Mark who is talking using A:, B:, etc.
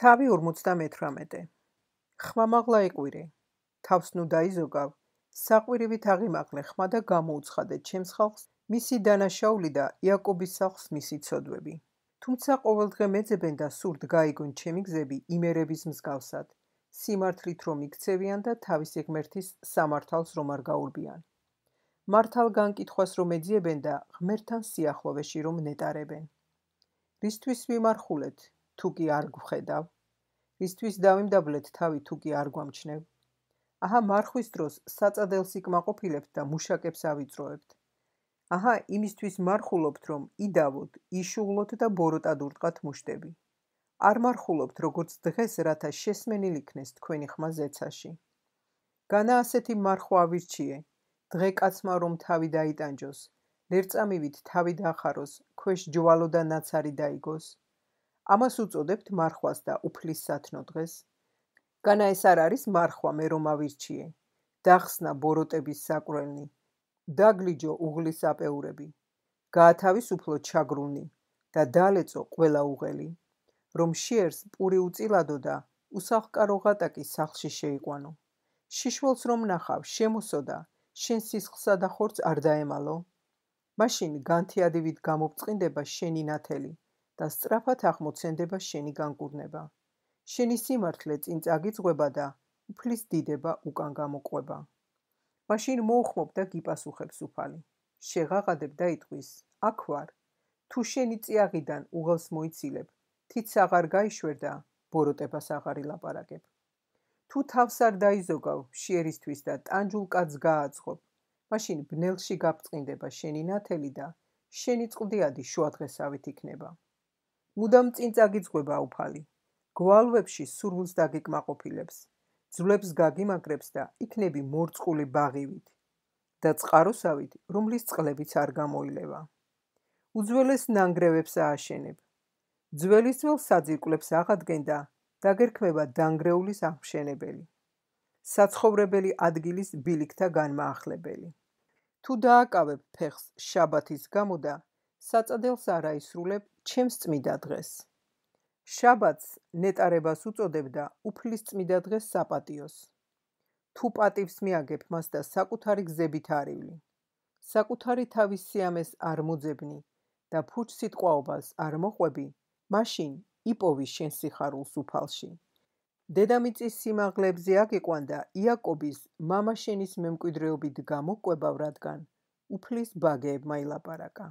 A: თავი 58. ხმამაღლა იყვირე, თავს ნუ დაიზოგავ, საყვირივით აღიმაღლე ხმა და გამოუცხადე ჩემს ხალხს მისი დანაშაული და იაკობის სახლს მისი ცოდვები. თუმცა ყოველდღე მეძებენ და სურთ გაიგონ ჩემი გზები იმერების მსგავსად, სიმართლით რომ იქცევიან და თავისი ღმერთის სამართალს რომ არ გაურბიან. მართალ განკითხვას რომ ეძიებენ და ღმერთთან სიახლოვეში რომ ნეტარებენ. რისთვის ვიმარხულეთ, თუ კი არ გვხედავ, რისთვის დავიმდაბლეთ თავი თუ კი არ გვამჩნევ. აჰა მარხვის დროს საწადელს იკმაყოფილებთ და მუშაკებს ავიწროებთ. აჰა იმისთვის მარხულობთ რომ იდავოთ, იშუღლოთ და ბოროტად ურტყათ მუშტები. არ მარხულობთ როგორც დღეს რათა შესმენილ იქნეს თქვენი ხმა ზეცაში. განა ასეთი მარხვა ავირჩიე, დღე კაცმა რომ თავი დაიტანჯოს, ლერწამივით თავი დახაროს, ქვეშ ჯვალო და ნაცარი დაიგოს. ამას უწოდებთ მარხვას და უფლის სათნო დღეს. განა ეს არ არის მარხვა მე რომ ავირჩიე, დახსნა ბოროტების საკვრელნი, დაგლიჯო უღლის აპეურები, გაათავისუფლო ჩაგრულნი და დალეწო ყველა უღელი, რომ შიერს პური უწილადო და უსახლკარო ღატაკი სახლში შეიყვანო. შიშველს რომ ნახავ, შემოსო და შენ სისხლსა და ხორცს არ დაემალო. მაშინ განთიადივით გამობწყინდება შენი ნათელი და სწრაფად აღმოცენდება შენი განკურნება. შენი სიმართლე წინ წაგიძღვება და უფლის დიდება უკან გამოყვება. მაშინ მოუხმობ და გიპასუხებს უფალი. შეღაღადებ და იტყვის, აქ ვარ. თუ შენი წიაღიდან უღელს მოიცილებ, თიც აღარ გაიშვერ და ბოროტებას აღარ ილაპარაკებ. თუ თავს არ დაიზოგავ შიერისთვის და ტანჯულ კაცს გააძღობ, მაშინ ბნელში გაბწყინდება შენი ნათელი და შენი წყლდიადი შუადღესავით იქნება. მუდამ წინ წაგიძღვება უფალი. გვალვებში სურვილს დაგიკმაყოფილებს, ძვლებს გაგიმაგრებს და იქნები მორწყული ბაღივით და წყაროსავით, რომლის წყლებიც არ გამოილევა. უძველეს ნანგრევებს ააშენებ, ძველის ძველ საძირკვლებს აღადგენ და დაგერქმება დანგრეულის აღმშენებელი, საცხოვრებელი ადგილის ბილიქთა განმაახლებელი. თუ დააკავებ ფეხს შაბათის გამო და საწადელს არ აისრულებ ჩემს წმიდა დღეს. შაბათს ნეტარებას უწოდებ და უფლის წმიდა დღეს საპატიოს. თუ პატივს მიაგებ მას და საკუთარი გზებით არივლი, საკუთარი თავის სიამეს არ მოძებნი და ფუჩ სიტყვაობას არ მოყვები, მაშინ იპოვი შენ სიხარულს უფალში. დედამიწის სიმაღლებზე აგიყვან და იაკობის მამა შენის მემკვიდრეობით გამოკვებავ, რადგან უფლის ბაგეებმა ილაპარაკა.